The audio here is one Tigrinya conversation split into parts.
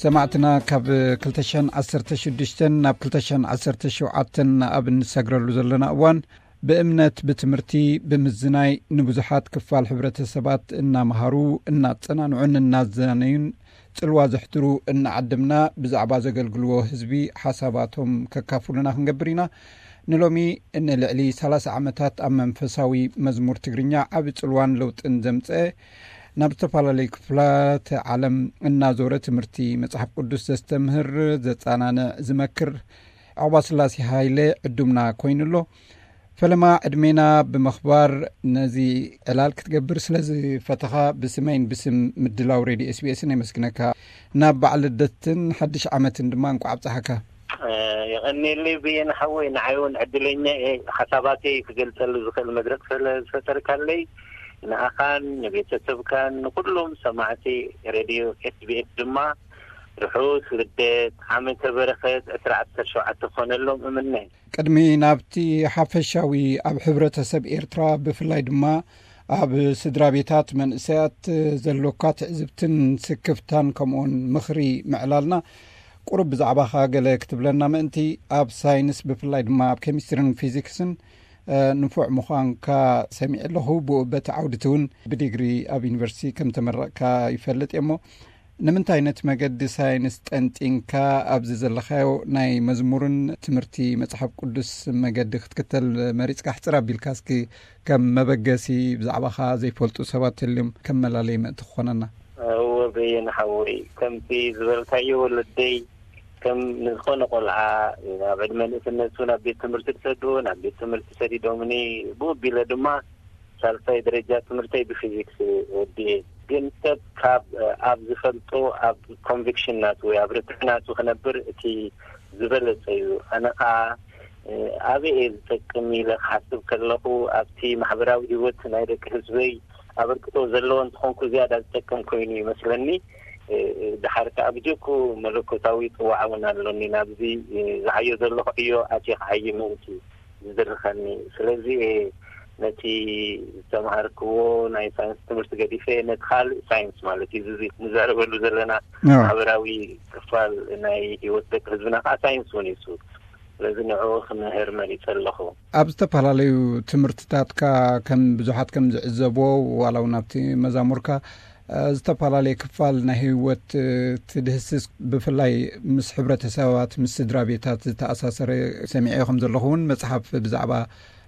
ሰማዕትና፣ ካብ ክልተ ሽሕን ዓሰርተ ሽዱሽተን ናብ ክልተ ሽሕን ዓሰርተ ሸውዓተን ኣብ እንሰግረሉ ዘለና እዋን፣ ብእምነት፣ ብትምህርቲ፣ ብምዝናይ ንብዙሓት ክፋል ሕብረተሰባት እናመሃሩ፣ እናጸናንዑን እናዘናነዩን ጽልዋ ዘሕድሩ እናዓደምና፣ ብዛዕባ ዘገልግልዎ ህዝቢ ሓሳባቶም ከካፍሉና ክንገብር ኢና። ንሎሚ፣ ንልዕሊ ሰላሳ ዓመታት ኣብ መንፈሳዊ መዝሙር ትግርኛ ዓቢ ጽልዋን ለውጥን ዘምጸ፣ ናብ ዝተፈላለዩ ክፍላተ ዓለም እናዞረ ትምህርቲ መጽሓፍ ቅዱስ ዘስተምህር፣ ዘጸናንዕ፣ ዝመክር፣ ዑቕባስላሴ ሃይለ ዕዱምና ኮይኑ ኣሎ። ፈለማ ዕድሜና ብምኽባር፣ ነዚ ዕላል ክትገብር ስለ ዝፈተኻ፣ ብስመይን ብስም ምድላው ሬድዮ ኤስቢኤስን የመስግነካ። ናብ በዓል ልደትን ሓድሽ ዓመትን ድማ እንቋዕ ኣብጽሓካ። እ፣ የቐንየለይ በየነ ሓወይ፣ ንዓይ እውን ዕድለኛ እየ። ሓሳባተይ ክገልጸሉ ዝኽእል መድረኽ ስለ ዝፈጠርካለይ፣ ንኣኻን ንቤተሰብካን ንኹሎም ሰማዕቲ ሬድዮ ኤስቢኤስ ድማ ርሑስ ልደት፣ ዓመተ በረኸት ዕስራ ዓሰርተ ሸውዓተ ክኾነሎም እምነ። ቅድሚ ናብቲ ሓፈሻዊ፣ ኣብ ሕብረተሰብ ኤርትራ ብፍላይ ድማ ኣብ ስድራ ቤታት መንእሰያት ዘሎካ ትዕዝብትን ስክፍታን ከምኡውን ምኽሪ ምዕላልና፣ ቁሩብ ብዛዕባኻ ገለ ክትብለና ምእንቲ፣ ኣብ ሳይንስ ብፍላይ ድማ ኣብ ኬሚስትሪን ፊዚክስን፣ እ፣ ንፉዕ ምዃንካ ሰሚዐ ኣለኹ። ብኡ በቲ ዓውዲ እቲ እውን ብዲግሪ ኣብ ዩኒቨርሲቲ ከም ተመረቕካ ይፈልጥ እየ። እሞ ንምንታይ ነቲ መገዲ ሳይንስ ጠንጢንካ ኣብዚ ዘለኻዮ ናይ መዝሙርን ትምህርቲ መጽሓፍ ቅዱስ መገዲ ክትክተል መሪጽካ? ሕጽር ኣቢልካ እስኪ ከም መበገሲ ብዛዕባኻ ዘይፈልጡ ሰባት ተልዮም ከም መላለይ ምእንቲ ክኾነና። እወ በየነ ሓወይ፣ ከምቲ ዝበልካዮ ወለደይ ከም ንዝኾነ ቆልዓ ኣብ ዕድመ ንእስነቱ ናብ ቤት ትምህርቲ ዝሰድዎ፣ ናብ ቤት ትምህርቲ ሰዲዶምኒ፣ ብኡ ኣቢለ ድማ ሳልሳይ ደረጃ ትምህርተይ ብፊዚክስ ወዲኤ። ግን ሰብ ካብ ኣብ ዝፈልጦ፣ ኣብ ኮንቪክሽን ናቱ ወይ ኣብ ርትዕ ናቱ ክነብር እቲ ዝበለጸ እዩ። ኣነ ኸኣ ኣበይ እየ ዝጠቅም ኢለ ክሓስብ ከለኹ፣ ኣብቲ ማሕበራዊ ህይወት ናይ ደቂ ህዝበይ ኣበርክቶ ዘለዎ እንተኾንኩ ዝያዳ ዝጠቅም ኮይኑ ይመስለኒ። ድሓር ከኣ ብጀኩ መለኮታዊ ጽዋዕ እውን ኣሎኒ፣ ናብዚ ዝዓዮ ዘለኹ ዕዮ ኣትየ ክዓዪ ምእንቲ ዝድርኸኒ። ስለዚ እየ ነቲ ዝተምሃርክዎ ናይ ሳይንስ ትምህርቲ ገዲፈ ነቲ ካልእ ሳይንስ፣ ማለት እዩ እዚ ንዛረበሉ ዘለና፣ ኣዎ፣ ማሕበራዊ ክፋል ናይ ህይወት ደቂ ህዝብና ከዓ ሳይንስ እውን እዩ። ስለዚ ንዕኡ ክምህር መሪጸ ኣለኹ። ኣብ ዝተፈላለዩ ትምህርትታትካ ከም ብዙሓት ከም ዝዕዘብዎ፣ ዋላ እውን ኣብቲ መዛሙርካ፣ እ፣ ዝተፈላለየ ክፋል ናይ ህይወት፣ እ፣ ትድህስስ፣ ብፍላይ ምስ ሕብረተሰባት፣ ምስ ስድራ ቤታት ዝተኣሳሰረ ሰሚዐ ከም ዘለኹ እውን፣ መጽሓፍ ብዛዕባ፣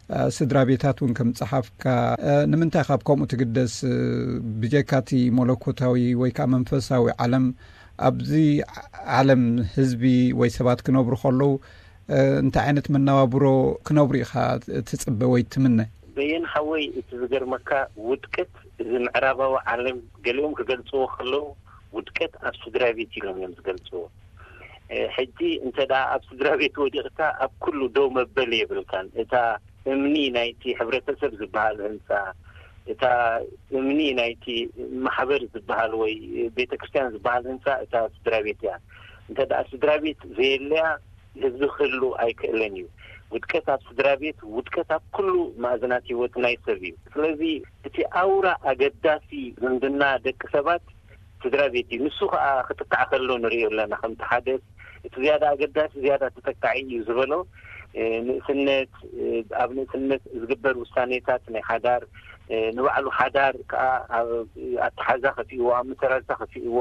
እ፣ ስድራ ቤታት እውን ከም ጸሓፍካ፣ እ፣ ንምንታይ ካብ ከምኡ ትግደስ? እ፣ ብጀካ እቲ መለኮታዊ ወይ ከዓ መንፈሳዊ ዓለም፣ ኣብዚ ዓለም ህዝቢ ወይ ሰባት ክነብሩ ከለዉ፣ እ፣ እንታይ ዓይነት መነባብሮ ክነብሩ ኢኻ ትጽበ ወይ ትምነ? በየን ሓወይ፣ እቲ ዝገርመካ፣ ውድቀት እዚ ምዕራባዊ ዓለም ገሊኦም ክገልጽዎ ከለዉ፣ ውድቀት ኣብ ስድራ ቤት ኢሎም እዮም ዝገልጽዎ። እ፣ ሕጂ እንተ ደኣ ኣብ ስድራ ቤት ወዲቕካ፣ ኣብ ኩሉ ደው መበሊ የብልካን። እታ እምኒ ናይቲ ሕብረተሰብ ዝበሃል ህንጻ፣ እታ እምኒ ናይቲ ማሕበር ዝበሃል ወይ ቤተ ክርስቲያን ዝበሃል ህንጻ እታ ስድራ ቤት እያ። እንተ ደኣ ስድራ ቤት ዘየለያ፣ ህዝቢ ክህሉ ኣይክእልን እዩ። ውድቀት ኣብ ስድራ ቤት፣ ውድቀት ኣብ ኩሉ ማእዝናት ህይወት ናይ ሰብ እዩ። ስለዚ እቲ ኣውራ ኣገዳሲ ዝምድና ደቂ ሰባት ስድራ ቤት እዩ። ንሱ ከኣ ክጥቃዕ ከሎ ንርእዮ ኣለና። ከምቲ ሓደ እቲ ዝያዳ ኣገዳሲ ዝያዳ ተጠቃዒ እዩ ዝበሎ፣ እ፣ ንእስነት፣ እ፣ ኣብ ንእስነት ዝግበር ውሳኔታት ናይ ሓዳር፣ እ፣ ንባዕሉ ሓዳር ከኣ ኣብ ኣተሓዛ ከፊእዎ፣ ኣብ ምተራዛ ከፊእዎ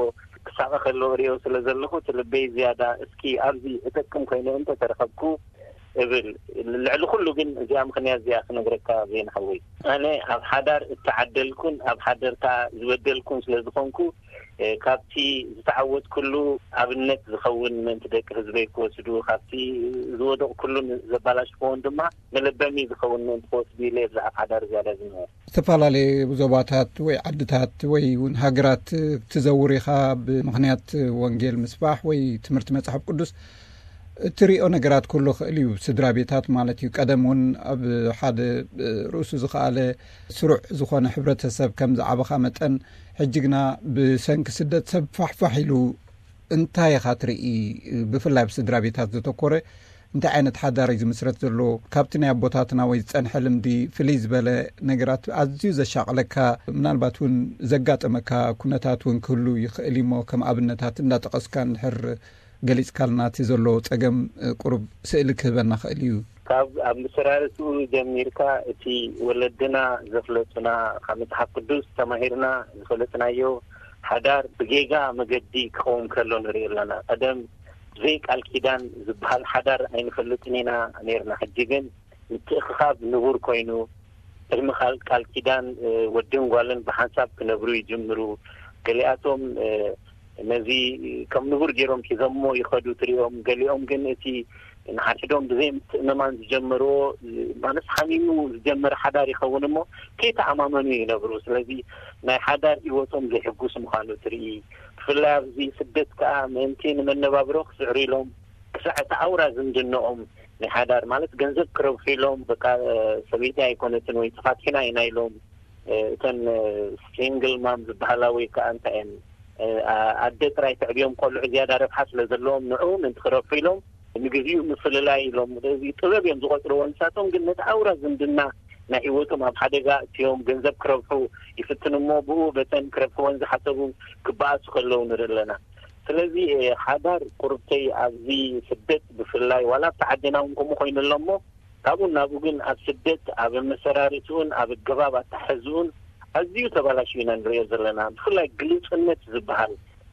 ክሳቐ ከሎ ርእዮ ስለ ዘለኹ፣ እቲ ልበይ ዝያዳ እስኪ ኣብዚ እጠቅም ኮይነ እንተ ተረኸብኩ እብል። ልዕሊ ኩሉ ግን እዚኣ ምኽንያት እዚኣ ክነግረካ ዜና ሓወይ። ኣነ ኣብ ሓዳር እተዓደልኩን ኣብ ሓዳር ከኣ ዝበደልኩን ስለ ዝኾንኩ፣ እ፣ ካብቲ ዝተዓወትኩሉ ኣብነት ዝኸውን ምእንቲ ደቂ ህዝበይ ክወስዱ፣ ካብቲ ዝወደቕኩሉን ዘባላሽክዎን ድማ መለበሚ ዝኸውን ምእንቲ ክወስዱ ኢለ እየ ብዛዕባ ሓዳር ዝያዳ ዝምህር። ዝተፈላለየ ዞባታት ወይ ዓድታት ወይ እውን ሃገራት ትዘውር ኢኻ፣ ብምኽንያት ወንጌል ምስባሕ ወይ ትምህርቲ መጽሓፍ ቅዱስ። እትሪኦ ነገራት ኩሉ ክእል እዩ፣ ስድራ ቤታት ማለት እዩ። ቀደም እውን ኣብ ሓደ ርእሱ ዝኸኣለ ስሩዕ ዝኾነ ሕብረተሰብ ከም ዝዓበኻ መጠን፣ ሕጂ ግና ብሰንኪ ስደት ሰብ ፋሕፋሕ ኢሉ እንታይ ኢኻ ትርኢ? ብፍላይ ኣብ ስድራ ቤታት ዘተኮረ እንታይ ዓይነት ሓዳር እዩ ዝምስረት ዘሎ? ካብቲ ናይ ኣቦታትና ወይ ዝጸንሐ ልምዲ ፍልይ ዝበለ ነገራት ኣዝዩ ዘሻቕለካ፣ ምናልባት እውን ዘጋጠመካ ኩነታት እውን ክህሉ ይኽእል እዩሞ፣ ከም ኣብነታት እንዳጠቐስካ እንድሕር ገሊጽካልና፣ እቲ ዘሎ ጸገም ቁሩብ ስእሊ ክህበና ክእል እዩ። ካብ ኣብ መሰራርትኡ ጀሚርካ፣ እቲ ወለድና ዘፍለጡና፣ ካብ መጽሓፍ ቅዱስ ተማሂርና ዝፈለጥናዮ ሓዳር ብጌጋ መገዲ ክኸውን ከሎ ንርኢ ኣለና። ቀደም ብዘይ ቃል ኪዳን ዝበሃል ሓዳር ኣይንፈልጥን ኢና ነርና። ሕጂ ግን ምትእኽኻብ ንቡር ኮይኑ፣ ቅድሚ ቃል ቃል ኪዳን ወድን ጓልን ብሓንሳብ ክነብሩ ይጅምሩ። ገሊኣቶም ነዚ ከም ንቡር ገይሮም ሒዞሞ ይኸዱ ትሪኦም። ገሊኦም ግን እቲ ንሓድሕዶም ብዘይ ምትእምማን ዝጀመርዎ፣ ማለት ሓሚሙ ዝጀመረ ሓዳር ይኸውን እሞ ከይተኣማመኑ ይነብሩ። ስለዚ ናይ ሓዳር ህይወቶም ዘይሕጉስ ምዃኑ ትርኢ። ብፍላይ ኣብዚ ስደት ከኣ ምእንቲ ንመነባብሮ ክስዕሩ ኢሎም ክሳዕ እቲ ኣውራ ዝምድንኦም ናይ ሓዳር፣ ማለት ገንዘብ ክረብሑ ኢሎም፣ በቃ ሰበይቲ ኣይኮነትን ወይ ተፋቲሕና ኢና ኢሎም፣ እተን ሲንግል ማም ዝበሃላ ወይ ከዓ እንታይ እየን፣ ኣደ ጥራይ ተዕብዮም ቆልዑ ዝያዳ ረብሓ ስለ ዘለዎም ንዑ ምእንቲ ክረብሑ ኢሎም ንግዚኡ ምፍልላይ ኢሎም እዚ ጥበብ እዮም ዝቆፅርዎ። ንሳቶም ግን ነቲ ኣውራ ዝምድና ናይ ህይወቶም ኣብ ሓደጋ እትዮም ገንዘብ ክረብሑ ይፍትኑ እሞ ብኡ በተን ክረብሕወን ዝሓሰቡ ክበኣሱ ከለዉ ንርኢ ኣለና። ስለዚ ሓዳር ቁርብተይ ኣብዚ ስደት ብፍላይ ዋላ ኣብቲ ዓድና እውን ከምኡ ኮይኑ ኣሎ እሞ ካብኡ ናብኡ ግን ኣብ ስደት ኣብ ኣመሰራርትኡን ኣብ ኣገባብ ኣተሓሕዝኡን ኣዝዩ ተባላሽዩ ኢና ንሪኦ ዘለና። ብፍላይ ግሉጽነት ዝበሃል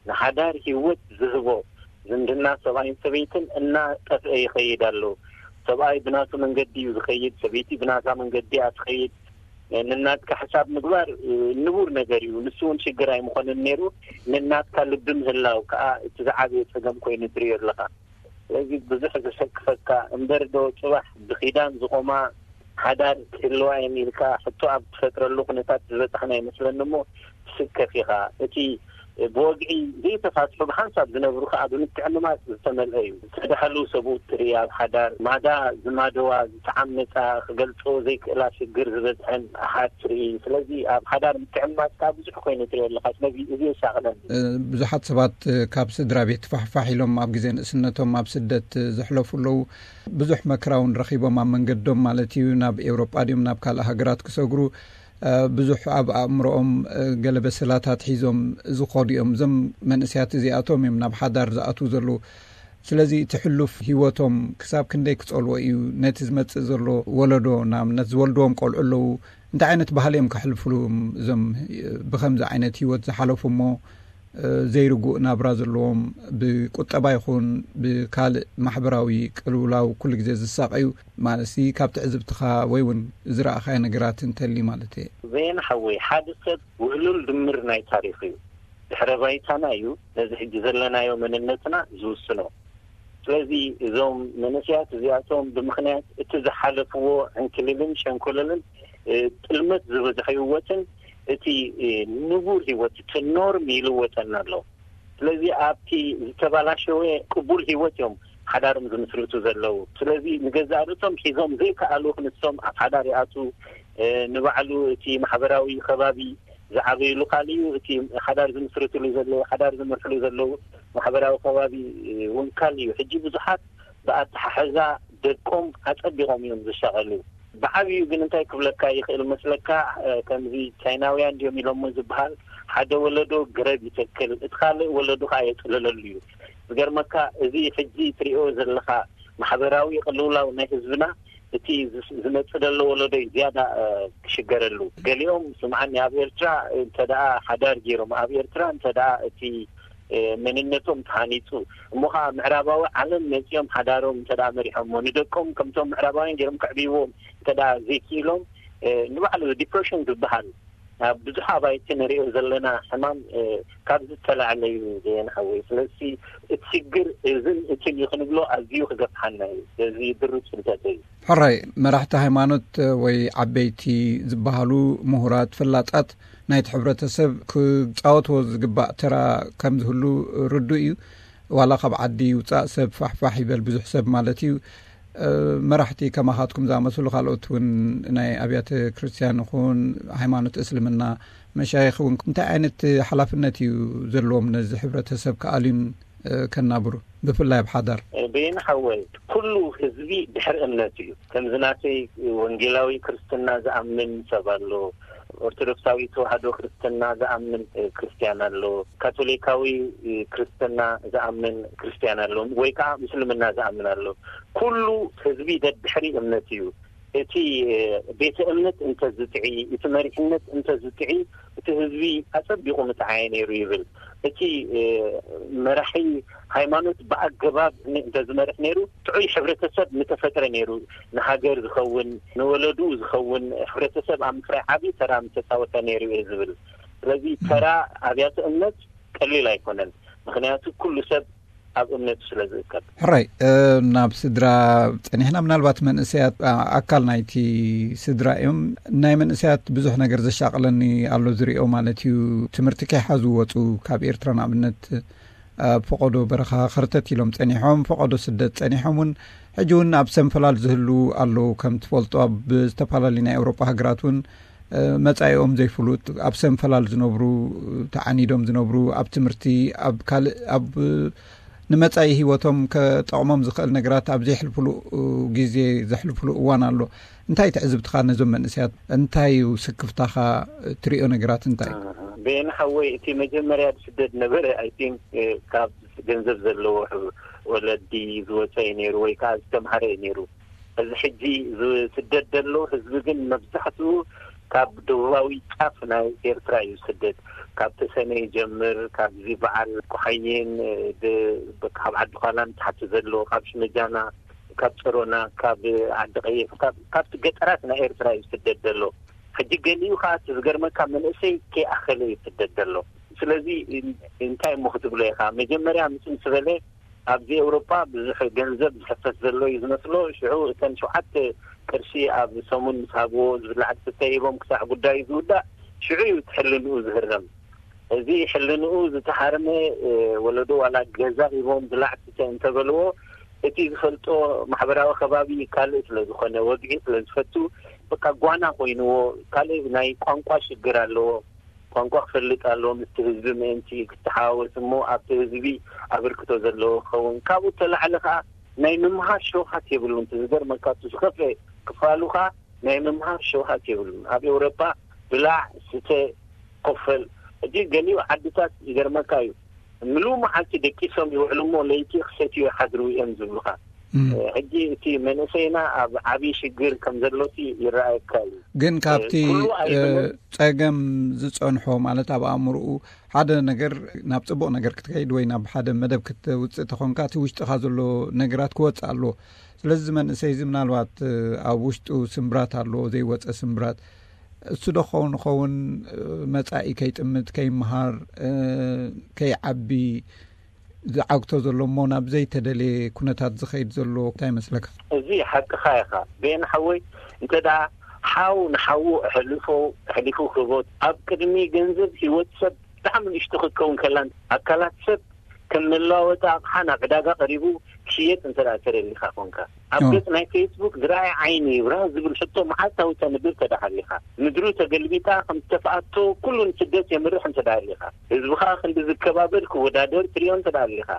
ንሓዳር ህይወት ዝህቦ ዝምድና ሰብኣይን ሰበይትን እናጠፍአ ይኸይድ ኣሎ። ሰብኣይ ብናቱ መንገዲ እዩ ዝኸይድ፣ ሰበይቲ ብናታ መንገዲ እያ ትኸይድ። ንናትካ ሕሳብ ምግባር ንቡር ነገር እዩ። ንሱ እውን ሽግር ኣይምኾንን ነይሩ። ንናትካ ልቢ ምህላው ከዓ እቲ ዝዓበየ ጸገም ኮይኑ ትሪኦ ኣለኻ። ስለዚ ብዙሕ ዘሰክፈካ እምበር ዶ ጽባሕ ብኪዳን ዝቆማ ሓዳር ክህልዋ እየን ኢልካ ሕቶ ኣብ ትፈጥረሉ ኩነታት ዝበጻሕና ይመስለኒ እሞ ትስከፍ ኢኻ። እቲ ብወግዒ ዘይተፋትሑ ብሓንሳብ ዝነብሩ ከኣ ብምትዕምማጽ ዝተመልአ እዩ። ዝተዳህሉ ሰብኡት ትርኢ ኣብ ሓዳር ማዳ ዝማደዋ ዝተዓመጻ ክገልጾ ዘይክእላ ሽግር ዝበዝሐን ኣሓት ትርኢ። ስለዚ ኣብ ሓዳር ምትዕምማጽ ከኣ ብዙሕ ኮይኑ ትርኢ ኣለኻ። ስለዚ እዚ የሻቕለኒ። ብዙሓት ሰባት ካብ ስድራ ቤት ፋሕፋሕ ኢሎም ኣብ ግዜ ንእስነቶም ኣብ ስደት ዘሕለፉ ኣለዉ። ብዙሕ መከራ እውን ረኺቦም ኣብ መንገዶም ማለት እዩ ናብ ኤውሮጳ ድዮም ናብ ካልእ ሃገራት ክሰግሩ ብዙሕ ኣብ ኣእምሮኦም ገለ በሰላታት ሒዞም ዝኸዱ እዮም። እዞም መንእስያት እዚኣቶም እዮም ናብ ሓዳር ዝኣትዉ ዘለዉ። ስለዚ እቲ ሕሉፍ ህይወቶም ክሳብ ክንደይ ክጸልዎ እዩ? ነቲ ዝመጽእ ዘሎ ወለዶ ንኣብነት ዝወልድዎም ቆልዑ ኣለዉ። እንታይ ዓይነት ባህሊ እዮም ከሕልፍሉ እዞም ብኸምዚ ዓይነት ህይወት ዝሓለፉ እሞ ዘይርጉእ ናብራ ዘለዎም ብቁጠባ ይኹን ብካልእ ማሕበራዊ ቅልውላው ኩሉ ግዜ ዝሳቐዩ ማለት ሲ ካብ ትዕዝብትኻ ወይ እውን ዝረኣኻዮ ነገራት እንተሊ ማለት እየ። ዘየን ሓወይ ሓደ ሰብ ውህሉል ድምር ናይ ታሪኽ እዩ። ድሕረ ባይታና እዩ ነዚ ሕጂ ዘለናዮ መንነትና ዝውስኖ። ስለዚ እዞም መንእስያት እዚኣቶም ብምኽንያት እቲ ዝሓለፍዎ ዕንክልልን ሸንኮለልን ጥልመት ዝበዝሐ ህይወትን እቲ ንቡር ህይወት እቲ ኖርም ይልወጠና ኣሎ። ስለዚ ኣብቲ ዝተባላሸወ ቅቡል ህይወት እዮም ሓዳሮም ዝምስርቱ ዘለዉ። ስለዚ ንገዛእ ርእሶም ሒዞም ዘይከኣሉ ክንሶም ኣብ ሓዳር ይኣቱ። ንባዕሉ እቲ ማሕበራዊ ከባቢ ዝዓበይሉ ካልእ እዩ። እቲ ሓዳር ዝምስርትሉ ዘለዉ ሓዳር ዝመርሕሉ ዘለዉ ማሕበራዊ ከባቢ እውን ካልእ እዩ። ሕጂ ብዙሓት ብኣተሓሕዛ ደቆም ኣጸቢቖም እዮም ዝሻቐሉ። ብዓብዩ ግን እንታይ ክብለካ ይኽእል መስለካ፣ ከምዚ ቻይናውያን ድዮም ኢሎሞ ዝበሃል ሓደ ወለዶ ገረብ ይተክል እቲ ካልእ ወለዶ ከዓ የጽልለሉ እዩ። ዝገርመካ እዚ ሕጂ ትሪኦ ዘለኻ ማሕበራዊ ቅልውላው ናይ ህዝብና እቲ ዝመጽእ ዘሎ ወለዶ እዩ ዝያዳ ክሽገረሉ። ገሊኦም ስምዓኒ ኣብ ኤርትራ እንተ ደኣ ሓዳር ገይሮም ኣብ ኤርትራ እንተ ደኣ እቲ መንነቶም ተሃኒጹ እሞ ከዓ ምዕራባዊ ዓለም መጺኦም ሓዳሮም እንተ ደኣ መሪሖሞ ንደቆም ከምቶም ምዕራባውያን ገይሮም ከዕብይዎም እንተ ደኣ ዘይክኢሎም ንባዕሉ ዲፕሬሽን ዝበሃል ኣብ ብዙሕ ኣባይቲ ንሪኦ ዘለና ሕማም ካብ ዝተላዕለ እዩ ዘየን ሓወይ። ስለዚ እቲ ሽግር እዝን እትን እዩ ክንብሎ ኣዝዩ ክገፍሓና እዩ። ስለዚ ድሩት ፍልጠት እዩ። ሕራይ መራሕቲ ሃይማኖት ወይ ዓበይቲ ዝበሃሉ ምሁራት ፈላጣት ናይቲ ሕብረተሰብ ክጻወትዎ ዝግባእ ተራ ከም ዝህሉ ርዱእ እዩ። ዋላ ካብ ዓዲ ይውጻእ ሰብ ፋሕፋሕ ይበል ብዙሕ ሰብ ማለት እዩ። መራሕቲ ከማኻትኩም ዝኣመስሉ ካልኦት እውን ናይ ኣብያተ ክርስቲያን ይኹን ሃይማኖት እስልምና መሻይኽ እውን እንታይ ዓይነት ሓላፍነት እዩ ዘለዎም ነዚ ሕብረተሰብ ክኣልዩን ከናብሩ? ብፍላይ ኣብ ሓዳር? በየነ ሓወይ፣ ኩሉ ህዝቢ ድሕሪ እምነት እዩ። ከምዚ ናተይ ወንጌላዊ ክርስትና ዝኣምን ሰብ ኣሎ፣ ኦርቶዶክሳዊ ተዋህዶ ክርስትና ዝኣምን ክርስትያን ኣሎ፣ ካቶሊካዊ ክርስትና ዝኣምን ክርስትያን ኣሎ፣ ወይ ከዓ ምስልምና ዝኣምን ኣሎ። ኩሉ ህዝቢ ደድሕሪ እምነት እዩ። እቲ ቤተ እምነት እንተዝጥዒ፣ እቲ መሪሕነት እንተዝጥዒ፣ እቲ ህዝቢ ኣጸቢቑ ምጥዓየ ነይሩ ይብል። እቲ መራሒ ሃይማኖት ብኣገባብ እንተዝመርሕ ነይሩ፣ ጥዑይ ሕብረተሰብ ምተፈጥረ ነይሩ፣ ንሃገር ዝኸውን፣ ንወለዱ ዝኸውን ሕብረተሰብ ኣብ ምፍራይ ዓብዪ ተራ ምተፃወተ ነይሩ እየ ዝብል። ስለዚ ተራ ኣብያተ እምነት ቀሊል ኣይኮነን። ምክንያቱ ኩሉ ሰብ ኣብ እምነቱ ስለ ዝእከብ። ሕራይ፣ ናብ ስድራ ጸኒሕና፣ ምናልባት መንእሰያት ኣካል ናይቲ ስድራ እዮም። ናይ መንእሰያት ብዙሕ ነገር ዘሻቕለኒ ኣሎ ዝሪኦ ማለት እዩ። ትምህርቲ ከይሓዙ ወጹ ካብ ኤርትራ፣ ንኣብነት ኣብ ፈቐዶ በረኻ ኸርተት ኢሎም ጸኒሖም፣ ፈቐዶ ስደት ጸኒሖም እውን፣ ሕጂ እውን ኣብ ሰንፈላል ዝህሉ ኣለዉ። ከም ትፈልጦ ኣብ ዝተፈላለዩ ናይ ኤውሮጳ ሃገራት እውን መጻኢኦም ዘይፍሉጥ፣ ኣብ ሰንፈላል ዝነብሩ፣ ተዓኒዶም ዝነብሩ፣ ኣብ ትምህርቲ፣ ኣብ ካልእ፣ ኣብ ንመጻኢ ህይወቶም ከጠቕሞም ዝኽእል ነገራት ኣብ ዘይሕልፍሉ ግዜ ዘሕልፍሉ እዋን ኣሎ። እንታይ ትዕዝብትኻ ነዞም መንእሰያት? እንታይ እዩ ስክፍታኻ? ትሪኦ ነገራት እንታይ? በየነ ሓወይ፣ እቲ መጀመርያ ዝስደድ ነበረ፣ ኣይ ቲንክ፣ ካብ ገንዘብ ዘለዎ ወለዲ ዝወፀ እዩ ነይሩ፣ ወይ ከዓ ዝተምሃረ እዩ ነይሩ። እዚ ሕጂ ዝስደድ ዘሎ ህዝቢ ግን መብዛሕትኡ ካብ ደቡባዊ ጫፍ ናይ ኤርትራ እዩ ዝስደድ። ካብ ተሰነ ይጀምር፣ ካብዚ በዓል ቆሓይን፣ ብ-፣ ካብ ዓዲ ኳላን ታሕቲ ዘሎ፣ ካብ ሽመጃና፣ ካብ ጸሮና፣ ካብ ዓዲ ቀይሕ፣ ካብ-፣ ካብቲ ገጠራት ናይ ኤርትራ እዩ ዝስደድ ዘሎ። ሕጂ ገሊኡ ከዓ እቲ ዝገርመካ መንእሰይ ከይኣኸለ እዩ ዝስደድ ዘሎ። ስለዚ እንታይ እሞ ክትብሎ ኢኻ? መጀመርያ ምስ ምስ በለ ኣብዚ ኤውሮጳ ብዙሕ ገንዘብ ዝሕፈስ ዘሎ እዩ ዝመስሎ። ሽዑ እተን ሸውዓተ ቅርሺ ኣብ ሰሙን ምስ ሃብዎ ዝብላዕ ዝስተ ሂቦም ክሳዕ ጉዳዩ ዝውዳእ ሽዑ እዩ እቲ ሕልንኡ ዝህረም። እዚ ሕልንኡ ዝተሃርመ ወለዶ ዋላ ገዛ ሂቦም ብላዕ ስተ እንተበልዎ እቲ ዝፈልጦ ማሕበራዊ ከባቢ ካልእ ስለ ዝኾነ ወግዒ ስለ ዝፈቱ በቃ ጓና ኮይንዎ። ካልእ ናይ ቋንቋ ሽግር ኣለዎ። ቋንቋ ክፈልጥ ኣለዎ፣ ምስቲ ህዝቢ ምእንቲ ክተሓዋወስ እሞ ኣብቲ ህዝቢ ኣበርክቶ ዘለዎ ክኸውን። ካብኡ ተላዕሊ ከዓ ናይ ምምሃር ሸውሃት የብሉን። እቲ ዝገርመካ እቲ ዝኸፍአ ክፋሉ ከዓ ናይ ምምሃር ሸውሃት የብሉን። ኣብ ኤውሮጳ ብላዕ፣ ስተ፣ ኮፈል። ሕጂ ገሊኡ ዓድታት ይገርመካ እዩ፣ ምሉእ መዓልቲ ደቂሶም ይውዕሉ እሞ ለይቲ ክሰትዩ ይሓድሩ እዮም ዝብሉኻ። ሕጂ እቲ መንእሰይና ኣብ ዓብዪ ሽግር ከም ዘሎሲ ይረኣየካ እዩ። ግን ካብቲ ኩሉ ኣይብልን። ጸገም ዝጸንሖ ማለት ኣብ ኣእምርኡ ሓደ ነገር ናብ ጽቡቕ ነገር ክትከይድ ወይ ናብ ሓደ መደብ ክትውጽእ ተኾንካ እቲ ውሽጥኻ ዘሎ ነገራት ክወጽእ ኣለዎ። ስለዚ እዚ መንእሰይ እዚ ምናልባት ኣብ ውሽጡ ስምብራት ኣለዎ፣ ዘይወጸ ስምብራት። እሱ ዶ ክኸውን ይኸውን መጻኢ ከይጥምት፣ ከይመሃር፣ ከይዓቢ ዝዓግቶ ዘሎ እሞ ናብ ዘይተደልየ ኩነታት ዝኸይድ ዘሎ እንታይ ይመስለካ? እዚ ሓቅኻ ኢኻ ቤን ሓወይ። እንተ ደኣ ሓው ንሓዉ ኣሕልፎ ኣሕሊፉ ክህቦ ኣብ ቅድሚ ገንዘብ ህይወት ሰብ ብጣዕሚ ንእሽቶ ክትከውን ከላን ኣካላት ሰብ ከም መለዋወጢ ኣቕሓ ናብ ዕዳጋ ቀሪቡ ክሽየጥ እንተ ደኣ ተደሊኻ ኮንካ ኣብ ገጽ ናይ ፌስቡክ ዝረኣየ ዓይኒ ይብራህ ዝብል ሕቶ መዓልታዊ ተንብብ ተደኣ ሃሊኻ ምድሩ ተገልቢጣ ከም ዝተፍኣቶ ኩሉ ንስደት የምርሕ እንተ ደኣ ሃሊኻ ህዝብኻ ክንዲ ዝከባበር ክወዳደር ትሪኦ እንተ ደኣ ሃሊኻ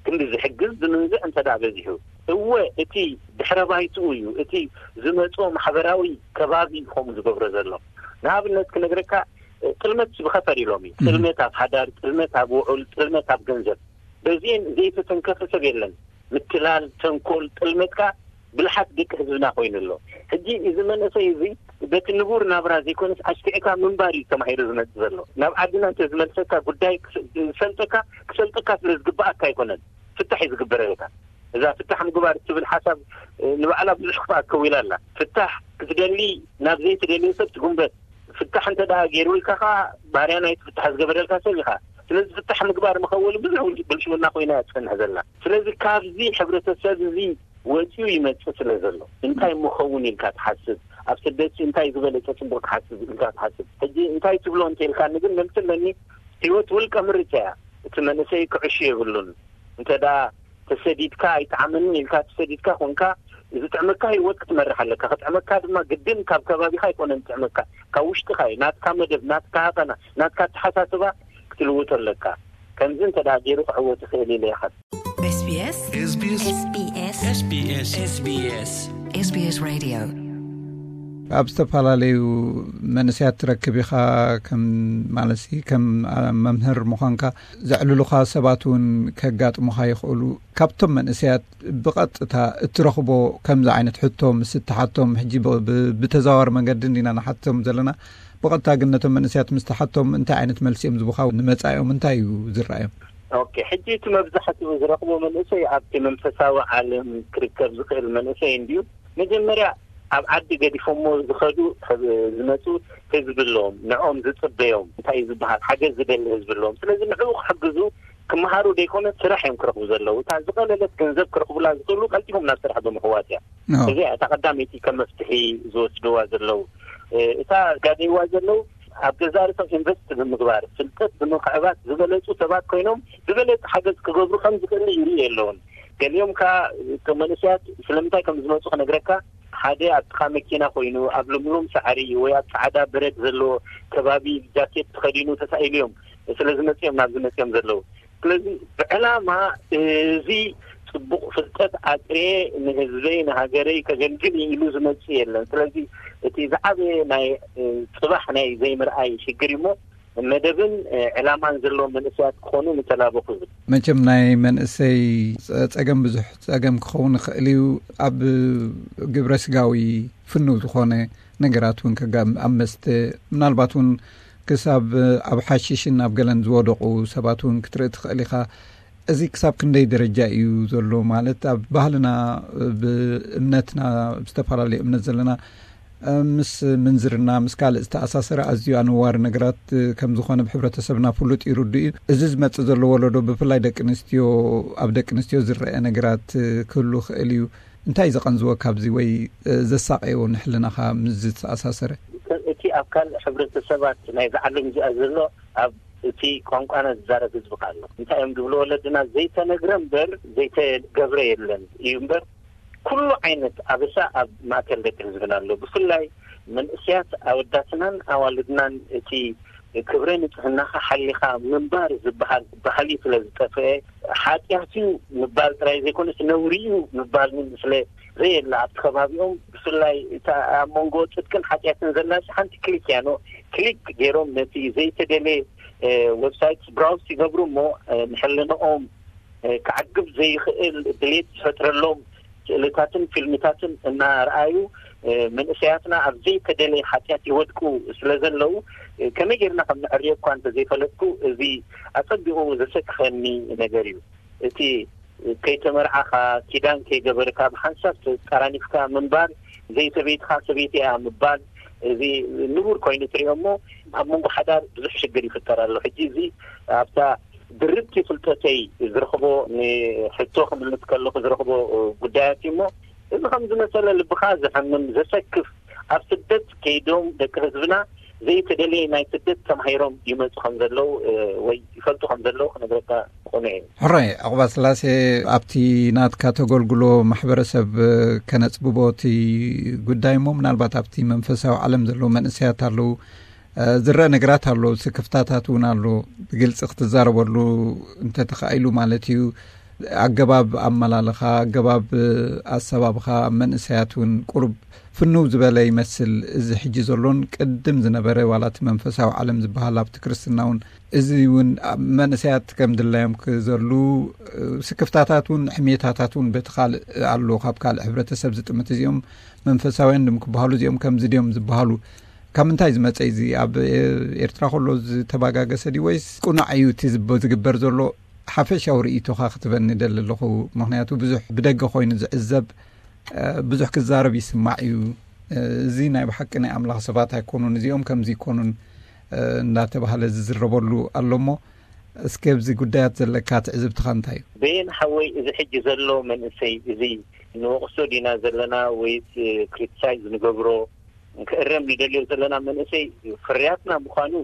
ክንዲ ዝሕግዝ ዝምንዝዕ እንተ ደኣ በዚሑ እወ እቲ ድሕረ ባይትኡ እዩ እቲ ዝመጾ ማሕበራዊ ከባቢ ከምኡ ዝገብሮ ዘሎ ንኣብነት ክነግረካ ጥልመት ብኸፈር ኢሎም እዩ ጥልመት ኣብ ሓዳር ጥልመት ኣብ ውዑል ጥልመት ኣብ ገንዘብ በዚኤን ዘይተተንከፈ ሰብ የለን ምትላል ተንኮል ጥልመት ከኣ ብልሓት ደቂ ህዝብና ኮይኑ ኣሎ ሕጂ እዚ መንእሰይ እዚ በቲ ንቡር ናብራ ዘይኮነስ ኣሽኪዕካ ምንባር እዩ ተማሂሩ ዝመጽእ ዘሎ ናብ ዓድና እንተ ዝመልሰካ ጉዳይ ዝሰልጠካ ክሰልጠካ ስለ ዝግባኣካ ኣይኮነን ፍታሕ እዩ ዝግበረልካ እዛ ፍታሕ ምግባር እትብል ሓሳብ ንባዕላ ብዙሕ ክፍኣት ከዊላ ኣላ ፍታሕ ክትደሊ ናብ ዘይትደልዮ ሰብ ትጉንበት ፍታሕ እንተ ደኣ ገይሩልካ ከኣ ባርያ ናይቲ ፍታሕ ዝገበረልካ ሰብ ኢኻ ስለዚ ፍታሕ ምግባር መኸወሊ ብዙሕ ብልሽውና ኮይና እያ ትጸንሕ ዘላ ስለዚ ካብዚ ሕብረተሰብ እዚ ወጺኡ ይመጽእ ስለ ዘሎ እንታይ ምኸውን ኢልካ ትሓስብ ኣብ ስደትሲ እንታይ ዝበለጸ ጽቡቕ ትሓስብ ኢልካ ትሓስብ ሕጂ እንታይ ትብሎ እንተ ኢልካኒ ግን መልሲ ኣለኒ ህይወት ውልቀ ምርጫ እያ እቲ መንእሰይ ክዕሹ የብሉን እንተ ደኣ ተሰዲድካ ኣይጠዓመንን ኢልካ ተሰዲድካ ኮንካ ዝጥዕመካ ህይወት ክትመርሕ ኣለካ ክጥዕመካ ድማ ግድን ካብ ከባቢኻ ኣይኮነን ዝጥዕመካ ካብ ውሽጥኻ እዩ ናትካ መደብ ናትካ ሃቐና ናትካ ኣተሓሳስባ ክትልውጦ ኣለካ ከምዚ እንተ ደኣ ገይሩ ክዕወት ይኽእል ኢለ ይኸል SBS SBS SBS SBS SBS Radio። ኣብ ዝተፈላለዩ መንእሰያት ትረክብ ኢኻ። ከም ማለት ከም መምህር ምዃንካ ዘዕልሉኻ ሰባት እውን ከጋጥሙኻ ይኽእሉ። ካብቶም መንእሰያት ብቐጥታ እትረኽቦ ከምዚ ዓይነት ሕቶ ምስ እትሓቶም፣ ሕጂ ብተዘዋዋሪ መንገዲ እንዲና ንሓቶም ዘለና፣ ብቐጥታ ግን ነቶም መንእሰያት ምስ ትሓቶም እንታይ ዓይነት መልሲ እዮም ዝቡኻ? ንመጻኢኦም እንታይ እዩ ዝረኣዮም? ኦኬ፣ ሕጂ እቲ መብዛሕትኡ ዝረኽቦ መንእሰይ ኣብቲ መንፈሳዊ ዓለም ክርከብ ዝኽእል መንእሰይ እንድዩ። መጀመርያ ኣብ ዓዲ ገዲፎሞ ዝኸዱ ዝመፁ ህዝቢ ኣለዎም፣ ንዕኦም ዝፅበዮም እንታይ እዩ ዝበሃል ሓገዝ ዝደሊ ህዝቢ ኣለዎም። ስለዚ ንዕኡ ክሕግዙ ክመሃሩ ደይኮነ ስራሕ እዮም ክረኽቡ ዘለዉ። እታ ዝቐለለት ገንዘብ ክረኽቡላ ዝኽእሉ ቀልጢፎም ናብ ስራሕ ብምሕዋስ እያ። እዚኣ እታ ቀዳመይቲ ከም መፍትሒ ዝወስድዋ ዘለዉ። እታ ጋደይዋ ዘለዉ ኣብ ገዛ ርእሶም ኢንቨስት ብምግባር ፍልጠት ብምክዕባት ዝበለፁ ሰባት ኮይኖም ዝበለፅ ሓገዝ ክገብሩ ከም ዝኽእሉ ይርኢ ኣለውን። ገሊኦም ከዓ እቶም መንእሰያት ስለምንታይ ከም ዝመፁ ክነግረካ፣ ሓደ ኣብ ጥቓ መኪና ኮይኑ ኣብ ልምሉም ሳዕሪ ወይ ኣብ ፃዕዳ በረድ ዘለዎ ከባቢ ጃኬት ተኸዲኑ ተሳኢሉ እዮም ስለ ዝመፅኦም ናብዚ መፅኦም ዘለዉ። ስለዚ ብዕላማ እዚ ፅቡቕ ፍልጠት ኣጥርየ ንህዝበይ ንሃገረይ ከገልግል ኢሉ ዝመፅእ የለን። ስለዚ እቲ ዝዓበየ ናይ ፅባሕ ናይ ዘይምርኣይ ሽግር እሞ መደብን ዕላማን ዘለዎም መንእሰያት ክኾኑ ምተላበኹ ዝብል። መቸም ናይ መንእሰይ ጸገም ብዙሕ ጸገም ክኸውን ይኽእል እዩ። ኣብ ግብረ ስጋዊ ፍኑው ዝኾነ ነገራት እውን ከጋም ኣብ መስተ ምናልባት እውን ክሳብ ኣብ ሓሽሽን ኣብ ገለን ዝወደቑ ሰባት እውን ክትርኢ ትኽእል ኢኻ። እዚ ክሳብ ክንደይ ደረጃ እዩ ዘሎ? ማለት ኣብ ባህልና ብእምነትና ብዝተፈላለዩ እምነት ዘለና ምስ ምንዝርና ምስ ካልእ ዝተኣሳሰረ ኣዝዩ ኣነዋሪ ነገራት ከም ዝኾነ ብሕብረተሰብና ፍሉጥ እዩ፣ ርዱእ እዩ። እዚ ዝመጽእ ዘሎ ወለዶ ብፍላይ ደቂ ኣንስትዮ ኣብ ደቂ ኣንስትዮ ዝረአ ነገራት ክህሉ ይኽእል እዩ። እንታይ ዘቐንዝወ ካብዚ ወይ ዘሳቀዮ ንሕልናኻ ምስ ዝተኣሳሰረ? እቲ ኣብ ካልእ ሕብረተሰባት ናይዚ ዓለም እዚኣ ዘሎ ኣብ እቲ ቋንቋና ዝዛረብ ህዝቢ ኣሎ። እንታይ እዮም ዝብሉ ወለድና? ዘይተነግረ እምበር ዘይተገብረ የለን እዩ እምበር ኩሉ ዓይነት ኣበሳ ኣብ ማእከል ደቂ ህዝብና ኣሎ። ብፍላይ መንእስያት ኣወዳትናን ኣዋልድናን እቲ ክብረ ንጽህናኻ ሓሊኻ ምንባር ዝበሃል ባህሊ ስለ ዝጠፍአ ሓጢኣት እዩ ምባል ጥራይ ዘይኮነስ ነውሪ እዩ ምባል እውን ስለ ዘየለ ኣብቲ ከባቢኦም ብፍላይ እታ ኣብ መንጎ ጽድቅን ሓጢኣትን ዘላ ሓንቲ ክሊክ እያ። ኖ ክሊክ ገይሮም ነቲ ዘይተደለ ዌብሳይት ብራውስ ይገብሩ እሞ ንሕልንኦም ክዓግብ ዘይኽእል ድሌት ዝፈጥረሎም ስእልታትን ፊልምታትን እናረኣዩ መንእሰያትና ኣብ ዘይተደለየ ሓጢኣት ይወድቁ ስለ ዘለዉ ከመይ ጌርና ከም ንዕርዮ እኳ እንተዘይፈለጥኩ እዚ ኣጸቢቑ ዘሰክፈኒ ነገር እዩ። እቲ ከይተመርዓኻ ኪዳን ከይገበርካ ብሓንሳብ ተጠራኒፍካ ምንባር ዘይሰበይትኻ ሰበይቲ እያ ምባል እዚ ንቡር ኮይኑ ትሪኦ እሞ ኣብ መንጎ ሓዳር ብዙሕ ሽግር ይፍጠር ኣሎ። ሕጂ እዚ ኣብታ ድርብቲ ፍልጠተይ ዝረኽቦ ንሕቶ ክምልስ ከለኹ ዝረኽቦ ጉዳያት እዩ እሞ እዚ ከም ዝመሰለ ልብኻ ዘሐምም ዘሰክፍ ኣብ ስደት ከይዶም ደቂ ህዝብና ዘይተደለየ ናይ ስደት ተማሂሮም ይመፁ ከም ዘለዉ ወይ ይፈልጡ ከም ዘለዉ ክነግረካ ቅኑዕ እዩ። ሕራይ ዕቑባ ስላሴ ኣብቲ ናትካ ተገልግሎ ማሕበረሰብ ከነፅብቦ እቲ ጉዳይ እሞ ምናልባት ኣብቲ መንፈሳዊ ዓለም ዘለዉ መንእሰያት ኣለዉ ዝረአ ነገራት ኣሎ። ስክፍታታት እውን ኣሎ። ብግልፂ ክትዛረበሉ እንተተኻኢሉ ማለት እዩ። ኣገባብ ኣመላልኻ ኣገባብ ኣሰባብኻ መንእሰያት እውን ቁሩብ ፍንው ዝበለ ይመስል። እዚ ሕጂ ዘሎን ቅድም ዝነበረ ዋላ እቲ መንፈሳዊ ዓለም ዝበሃል ኣብቲ ክርስትና እውን እዚ እውን ኣብ መንእሰያት ከም ድላዮም ክዘሉ ስክፍታታት እውን ሕሜታታት እውን በቲ ካልእ ኣሎ። ካብ ካልእ ሕብረተሰብ ዝጥምት እዚኦም መንፈሳውያን ድም ክበሃሉ እዚኦም ከምዚ ድዮም ዝበሃሉ ካብ ምንታይ ዝመፀ እዚ ኣብ ኤርትራ ከሎ ዝተባጋገሰ ድዩ ወይስ ቁኑዕ እዩ እቲ ዝብ- ዝግበር ዘሎ? ሓፈሻዊ ርእይቶኻ ክትበኒ ደሊ ኣለኹ። ምክንያቱ ብዙሕ ብደገ ኮይኑ ዝዕዘብ ብዙሕ ክዛረብ ይስማዕ እዩ። እዚ ናይ ብሓቂ ናይ ኣምላኽ ሰባት ኣይኮኑን እዚኦም ከምዚ ይኮኑን እንዳተባህለ ዝዝረበሉ ኣሎ እሞ እስኪ ኣብዚ ጉዳያት ዘለካ ትዕዝብትኻ እንታይ እዩ? በየን ሓወይ እዚ ሕጂ ዘሎ መንእሰይ እዚ ንወቕሶ ዲና ዘለና ወይስ ክሪቲሳይዝ ንገብሮ ክእረም ንደልዮ ዘለና መንእሰይ ፍርያትና ምዃኑ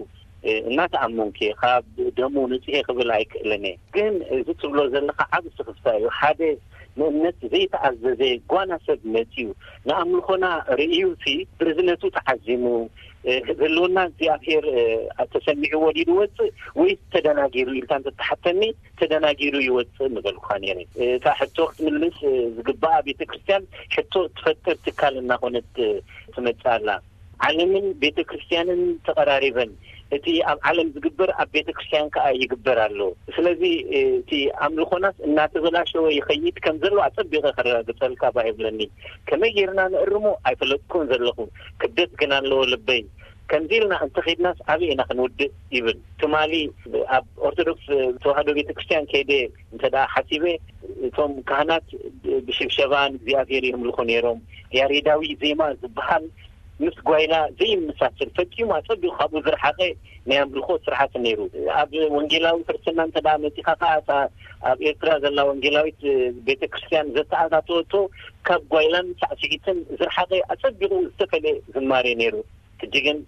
እናተኣመንኩ እየ። ካብ ደሙ ንፅሄ ክብል ኣይክእልን እየ። ግን እዚ ትብሎ ዘለካ ዓብ ስክፍታ እዩ። ሓደ ንእምነት ዘይተኣዘዘ ጓና ሰብ መፅዩ ንኣምልኾና ርእዩ ሲ ብርዝነቱ ተዓዚሙ ህልውና እግዚኣብሔር ተሰሚዕዎ ድዩ ዝወፅእ ወይስ ተደናጊሩ ኢልካ እንተተሓተኒ፣ ተደናጊሩ ይወፅእ ምበልኩኻ ነይረ። እታ ሕቶ ክትምልስ ዝግባኣ ቤተክርስትያን ሕቶ ትፈጥር ትካል እናኾነት ትመፅእ ኣላ። ዓለምን ቤተክርስትያንን ተቐራሪበን፣ እቲ ኣብ ዓለም ዝግበር ኣብ ቤተክርስትያን ከዓ ይግበር ኣሎ። ስለዚ እቲ ኣምልኾናስ እናተበላሸወ ይኸይድ ከም ዘሎ ኣፀቢቐ ከረጋግፀልካ ባህ ይብለኒ። ከመይ ጌርና ንእርሞ ኣይፈለጥኩን ዘለኹ። ክብደት ግን ኣለዎ ልበይ። ከምዚ ኢልና እንተኸድናስ ኣበይ ኢና ክንውድእ ይብል። ትማሊ ኣብ ኦርቶዶክስ ተዋህዶ ቤተክርስትያን ከይደ እንተ ደኣ ሓሲበ፣ እቶም ካህናት ብሽብሸባ ንእግዚኣብሔር የምልኹ ነይሮም። ያሬዳዊ ዜማ ዝበሃል ምስ ጓይላ ዘይመሳሰል፣ ፈጺሙ ኣጸቢቑ ካብኡ ዝረሓቐ ናይ ኣምልኾ ስርዓት ነይሩ። ኣብ ወንጌላዊ ክርስትና እንተ ደኣ መጺኻ ከኣ፣ እታ ኣብ ኤርትራ ዘላ ወንጌላዊት ቤተክርስትያን ዘተኣታተወቶ ካብ ጓይላን ሳዕስዒትን ዝረሓቐ ኣጸቢቑ ዝተፈልየ ዝማሬ ነይሩ። ሕጂ ግን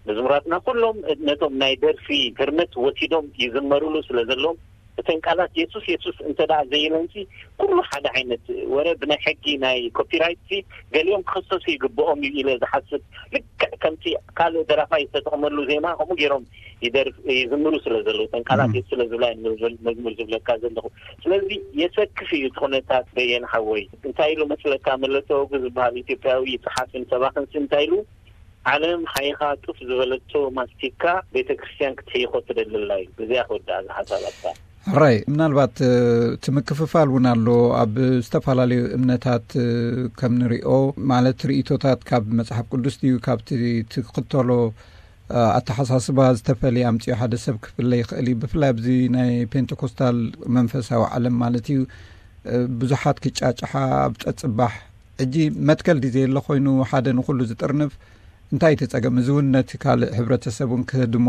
መዝሙራትና ኩሎም ነቶም ናይ ደርፊ ህርመት ወሲዶም ይዝመሩሉ ስለ ዘለዎም፣ እተን ቃላት የሱስ የሱስ እንተ ደኣ ዘይለንሲ፣ ኩሉ ሓደ ዓይነት ወረ ብናይ ሕጊ ናይ ኮፒራይት ሲ ገሊኦም ክኽሰሱ ይግብኦም እዩ ኢለ ዝሓስብ። ልክዕ ከምቲ ካልእ ደራፋይ ዝተጠቕመሉ ዜማ ከምኡ ገይሮም ይደርፍ-፣ ይዝምሩ ስለ ዘለዉ፣ እተን ቃላት እም። የሱስ ስለ ዝብላ እየ መዝሙር ዝብለካ ዘለኹ። ስለዚ የሰክፍ እዩ እቲ ኩነታት በየን ሓወይ። እንታይ ኢሉ መስለካ፣ መለሰ ወጉ ዝበሃል ኢትዮጵያዊ ጸሓፍን ሰባኽን ሲ እንታይ ኢሉ፣ ዓለም ሓይኻ ጡፍ ዝበለቶ ማስቲካ ቤተ ክርስቲያን ክትሕይኾ ትደሊ ኣላ እዩ። እዚኣ ክወድኣ ዝሓሳባትካ። ሕራይ፣ ምናልባት፣ እ፣ እቲ ምክፍፋል እውን ኣሎ። ኣብ ዝተፈላለዩ እምነታት፣ እ፣ ከም ንሪኦ፣ ማለት ርእይቶታት ካብ መጽሓፍ ቅዱስ ድዩ፣ ካብቲ ትክተሎ፣ እ፣ ኣተሓሳስባ ዝተፈልየ ኣምጺኡ ሓደ ሰብ ክፍለ ይኽእል እዩ። ብፍላይ ኣብዚ ናይ ፔንቴኮስታል መንፈሳዊ ዓለም ማለት እዩ፣ እ፣ ብዙሓት ክጫጭሓ ኣብ ጸጽባሕ። ሕጂ መትከል ድዩ ዘየለ ኮይኑ ሓደ ንኹሉ ዝጥርንፍ እንታይ እቲ ጸገም? እዚ እውን ነቲ ካልእ ሕብረተሰብ እውን ክህድሞ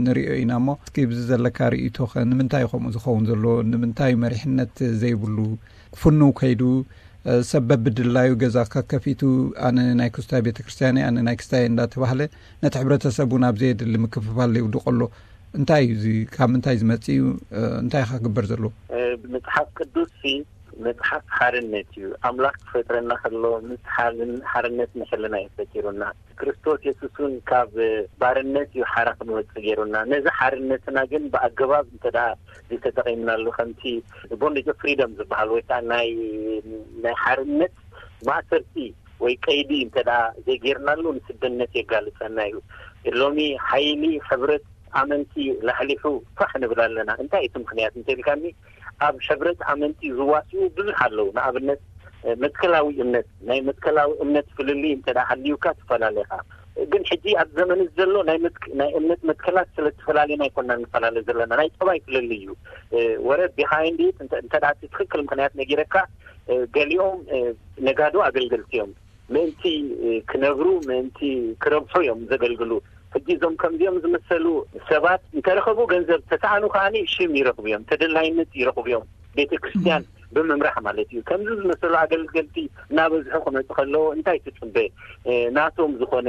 ንሪኦ ኢና እሞ፣ እስኪ ብዚ ዘለካ ርእይቶኸ ንምንታይ እዩ ከምኡ ዝኸውን ዘሎ? ንምንታይ መሪሕነት ዘይብሉ? ፍኑው ከይዱ፣ እ፣ ሰብ በብድላዩ ገዛ ከከፊቱ፣ ኣነ ናይ ክስታይ ቤተክርስትያን እየ፣ ኣነ ናይ ክስታይ እየ እንዳተባህለ፣ ነቲ ሕብረተሰብ እውን ኣብ ዘየድሊ ምክፍፋል የውድቆ ኣሎ። እንታይ እዩ እዚ? ካብ ምንታይ ዝመጽእ እዩ? እ፣ እንታይ ኢኻ ክግበር ዘለዎ? እ፣ መጽሓፍ ቅዱስ ሲ መጽሓፍ ሓርነት እዩ። ኣምላኽ ክፈጥረና ከሎ ምስ ሓልን-፣ ሓርነት ንሕልና እዩ ፈጢሩና። ክርስቶስ የሱስ እውን ካብ ባርነት እዩ ሓራ ክንወጽእ ገይሩና። ነዚ ሓርነትና ግን ብኣገባብ እንተ ደኣ ዘይተጠቒምናሉ፣ ከምቲ ቦንዴጅ ኦፍ ፍሪደም ዝበሃል ወይ ከዓ ናይ፣ ናይ ሓርነት ማእሰርቲ ወይ ቀይዲ እንተ ደኣ ዘይጌርናሉ ንስድነት የጋልጸና እዩ። ሎሚ ሓይሊ ሕብረት ኣመንቲ ላሕሊሑ ፋሕ ንብል ኣለና። እንታይ እቲ ምኽንያት እንተኢልካኒ፣ ኣብ ሕብረት ኣመንቲ ዝዋስኡ ብዙሕ ኣለዉ። ንኣብነት፣ መትከላዊ እምነት፣ ናይ መትከላዊ እምነት ፍልልይ እንተ ደኣ ሃልዩካ ትፈላለ ኢኻ። ግን ሕጂ ኣብ ዘመን ዘሎ ናይ መትክ-፣ ናይ እምነት መትከላት ስለ እተፈላለየና ኣይኮንና ንፈላለ ዘለና። ናይ ጠባይ ፍልልይ እዩ። ወረ ቢሃይንድ ኢት እንተ፣ እንተ ደኣ እቲ ትኽክል ምኽንያት ነጊረካ፣ ገሊኦም ነጋዶ ኣገልገልቲ እዮም። ምእንቲ ክነብሩ፣ ምእንቲ ክረብሑ እዮም ዘገልግሉ። ሕጂ እዞም ከምዚኦም ዝመሰሉ ሰባት እንተረኸቡ ገንዘብ፣ ተሰኣኑ ከኣ ሽም ይረኽቡ እዮም፣ ተደላይነት ይረኽቡ እዮም፣ ቤተ ክርስቲያን ብምምራሕ ማለት እዩ። ከምዚ ዝመሰሉ ኣገልገልቲ እናበዝሑ ክመፁ ከለዉ እንታይ ትፅበ? እ፣ ናቶም ዝኾነ፣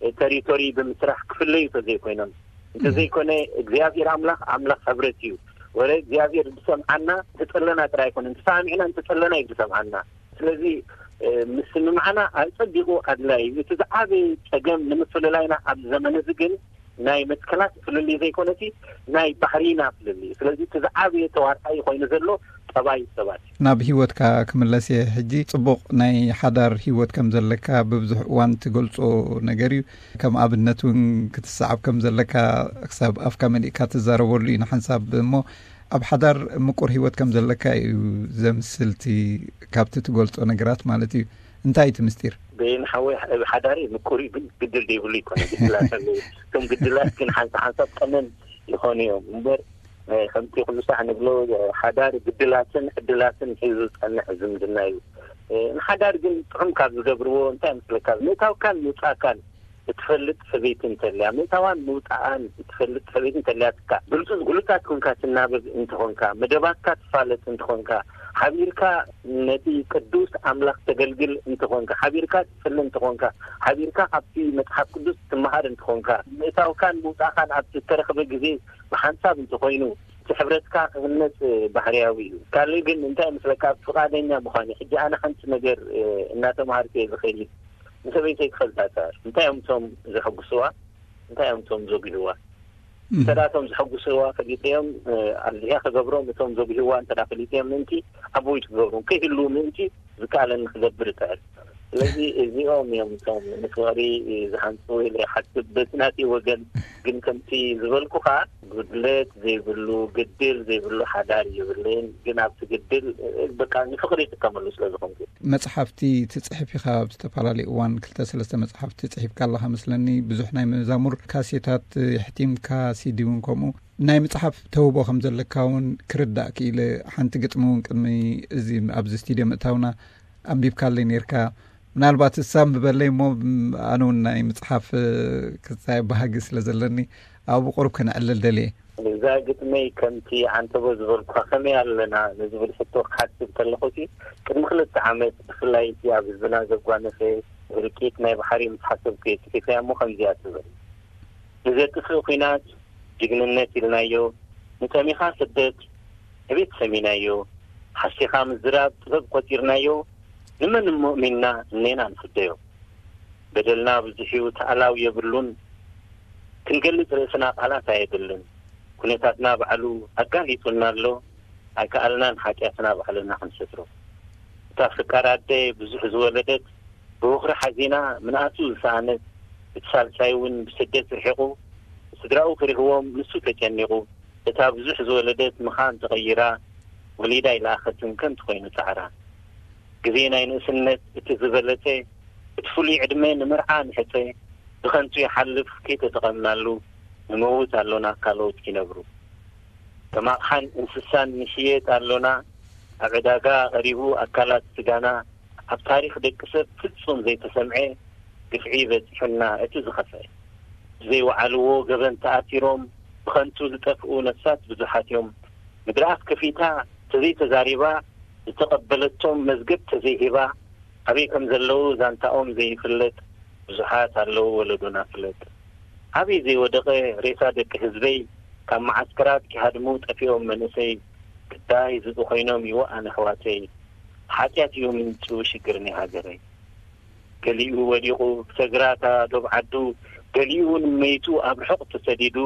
እ፣ ተሪቶሪ ብምስራሕ ክፍለዩ ተዘይኮይኖም፣ እንተዘይኮነ እግዚኣብሔር ኣምላኽ ኣምላኽ ሕብረት እዩ። ወረ እግዚኣብሔር ዝሰምዓና እንተፀለና ጥራይ ኣይኮነን፣ ተሰማሚዕና እንተፀለና እዩ ዝሰምዓና። ስለዚ፣ እ፣ ምስምማዕና ኣጸቢቑ ኣድላዪ እዩ። እቲ ዝዓበየ ጸገም ንምፍልላይና ኣብዚ ዘመን እዚ ግን ናይ መትከላት ፍልልይ ዘይኮነሲ ናይ ባህሪና ፍልልይ እዩ። ስለዚ እቲ ዝዓበየ ተዋሳኢ ኮይኑ ዘሎ ጠባይ ሰባት እዩ። ናብ ህይወትካ ክምለስ እየ ሕጂ። ጽቡቕ ናይ ሓዳር ህይወት ከም ዘለካ ብብዙሕ እዋን ትገልጾ ነገር እዩ። ከም ኣብነት እውን ክትሰዓብ ከም ዘለካ ክሳብ ኣፍካ መሊእካ ትዛረበሉ እዩ ንሓንሳብ እሞ ኣብ ሓዳር ምቁር ህይወት ከም ዘለካ እዩ ዘምስል እቲ ካብቲ ትገልጾ ነገራት ማለት እዩ። እንታይ እቲ ምስጢር? በይን ሓወይ፣ ኣብ ሓዳሪ ምቁር እዩ፣ ግን ግድል ዘይብሉ ይኮነ። ግድላት ኣለዉ። እቶም ግድላት ግን ሓንሳ ሓንሳብ ቀነን ይኾኑ እዮም እምበር፣ እ፣ ከምቲ ኩሉ ሳዕ ንብሎ፣ እ፣ ሓዳር ግድላትን ዕድላትን ሒዙ ዝጸንሕ ዝምድና እዩ። እ፣ ንሓዳር ግን ጥዑም ካብ ዝገብርዎ እንታይ ምስለካ? ምእታውካን ምውጻእካን እትፈልጥ ሰበይቲ እንተልያ፣ ምእታዋን ምውጻኣን እትፈልጥ ሰበይቲ እንተልያትካ፣ ብሉጽ-፣ ብሉጻት ኮንካ ትናበብ እንተኾንካ፣ መደባትካ ትፋለጥ እንተኾንካ፣ ሓቢርካ ነቲ ቅዱስ ኣምላኽ ተገልግል እንተኾንካ፣ ሓቢርካ ትጽሊ እንተኾንካ፣ ሓቢርካ ካብቲ መጽሓፍ ቅዱስ ትመሃር እንተኾንካ፣ ምእታውካን ምውጻእካን ኣብ እተረኽበ ግዜ ብሓንሳብ እንተኾይኑ፣ እቲ ሕብረትካ ክህነጽ ባህርያዊ እዩ። ካልእ ግን እንታይ ይመስለካ? ፍቓደኛ ምዃን እዩ። ሕጂ ኣነ ሓንቲ ነገር፣ እ፣ እናተምሃርኩ እየ ዝኸይድ። ንሰበይተይ ክፈልጣ እጽዕር። እንታይ እዮም እቶም ዘሐጉስዋ? እንታይ እዮም እቶም ዘጉህዋ? እንተ ደኣ እቶም ዘሐጉስዋ ፈሊጠዮም፣ እ፣ ኣብዚኣ ክገብሮም፣ እቶም ዘጉህዋ እንተ ደኣ ፈሊጠዮም ምእንቲ፣ ኣቦይቱ ክገብሮም ከይህልዉ ምእንቲ ዝከኣለኒ ክገብር እጽዕር። ስለዚ እዚኦም እዮም እቶም ንፍቕሪ ዝሃንጹ ኢለ ይሓስብ። በቲ ናተይ ወገን ግን ከምቲ ዝበልኩኻ፣ ጉድለት ዘይብሉ፣ ግድል ዘይብሉ ሓዳር የብለይን። ግን ኣብቲ ግድል፣ እ፣ በቃ ንፍቕሪ ይጥቀመሉ ስለ ዝኾንኩ። መጽሓፍቲ ትጽሕፍ ኢኻ ኣብ ዝተፈላለዩ እዋን፣ ክልተ ሰለስተ መጽሓፍቲ ጽሒፍካ ኣለኻ መስለኒ። ብዙሕ ናይ መዛሙር ካሴታት የሕቲምካ፣ ሲዲ እውን ከምኡ። ናይ ምጽሓፍ ተውቦ ከም ዘለካ እውን ክርዳእ ክኢለ። ሓንቲ ግጥሚ እውን ቅድሚ እዚ ኣብዚ ስቱድዮ ምእታውና ኣንቢብካለይ ነይርካ። ምናልባት እሳ ምበለይ እሞ፣ ም-፣ ኣነ እውን ናይ ምጽሓፍ፣ እ፣ ክሳይ ባህጊ ስለ ዘለኒ ኣብኡ ቁሩብ ከነዕልል ደልየ። እዛ ግጥመይ ከምቲ ዓንተቦ ዝበልኳ ከመይ ኣለና ንዝብል ሕቶ ክሓስብ ከለኹ ሲ፣ ቅድሚ ክልተ ዓመት ብፍላይ እቲ ኣብ ህዝብና ዘጓነፈ ህልቂት ናይ ባሕሪ ምስ ሓሰብኩ እየ ጽሒፈያ እሞ ከምዚኣ ትብል። ንዘጥፍእ ኲናት ጅግንነት ኢልናዮ፣ ንጠሚኻ ስደት ዕቤት ሰሚናዮ፣ ሓሲኻ ምዝራብ ጥበብ ቆጺርናዮ፣ ንመን እሞ እሚንና እኔና ንፍደዮ? በደልና ብዙሕ እዩ፣ ተኣላው የብሉን፣ ክንገልጽ ርእስና ቃላት ኣየድልን። ኩነታትና ባዕሉ ኣጋሊጹና ኣሎ፣ ኣይከኣልናን ሓጢኣትና ባዕልና ክንሰትሮ። እታ ፍቃር ኣደ ብዙሕ ዝወለደት፣ ብወፍሪ ሓዚና ምንኣሱ ዝሰኣነት፣ እቲ ሳልሳይ እውን ብስደት ርሒቑ፣ ስድራኡ ክርህዎም ንሱ ተጨኒቑ፣ እታ ብዙሕ ዝወለደት ምኻን ተቐይራ፣ ወሊዳ ኣይለኣኸትን ከምቲ ኮይኑ ጻዕራ። ግዜ ናይ ንእስነት እቲ ዝበለጸ፣ እቲ ፍሉይ ዕድመ ንመርዓ ንሕጸ፣ ብኸንቱ ይሓልፍ ከይተጠቐምናሉ፣ ንመውት ኣሎና ካልኦት ይነብሩ። ከም ኣቕሓን እንስሳን ንሽየጥ ኣሎና፣ ኣብ ዕዳጋ ቀሪቡ ኣካላት ስጋና፣ ኣብ ታሪኽ ደቂ ሰብ ፍጹም ዘይተሰምዐ ግፍዒ በጺሑና እቲ ዝኸፍአ። ብዘይወዓልዎ ገበን ተኣሲሮም ብኸንቱ ዝጠፍኡ ነፍሳት ብዙሓት እዮም። ምድሪ ኣፍ ከፊታ ተዘይተዛሪባ፣ ዝተቐበለቶም መዝገብ ተዘይሂባ፣ ኣበይ ከም ዘለዉ ዛንታኦም ዘይፍለጥ ብዙሓት ኣለዉ ወለዶና ፍለጥ። ኣበይ ዘይወደቐ ሬሳ ደቂ ህዝበይ፣ ካብ መዓስከራት ኪሃድሙ ጠፊኦም መንእሰይ፣ ግዳይ ዝብኢ ኮይኖም ይወኣን ኣሕዋተይ። ሓጢኣት እዩ ምንጩ ሽግር ናይ ሃገረይ። ገሊኡ ወዲቑ ሰግራታ ዶብ ዓዱ፣ ገሊኡ እውን መይቱ ኣብ ርሑቕ ተሰዲዱ፣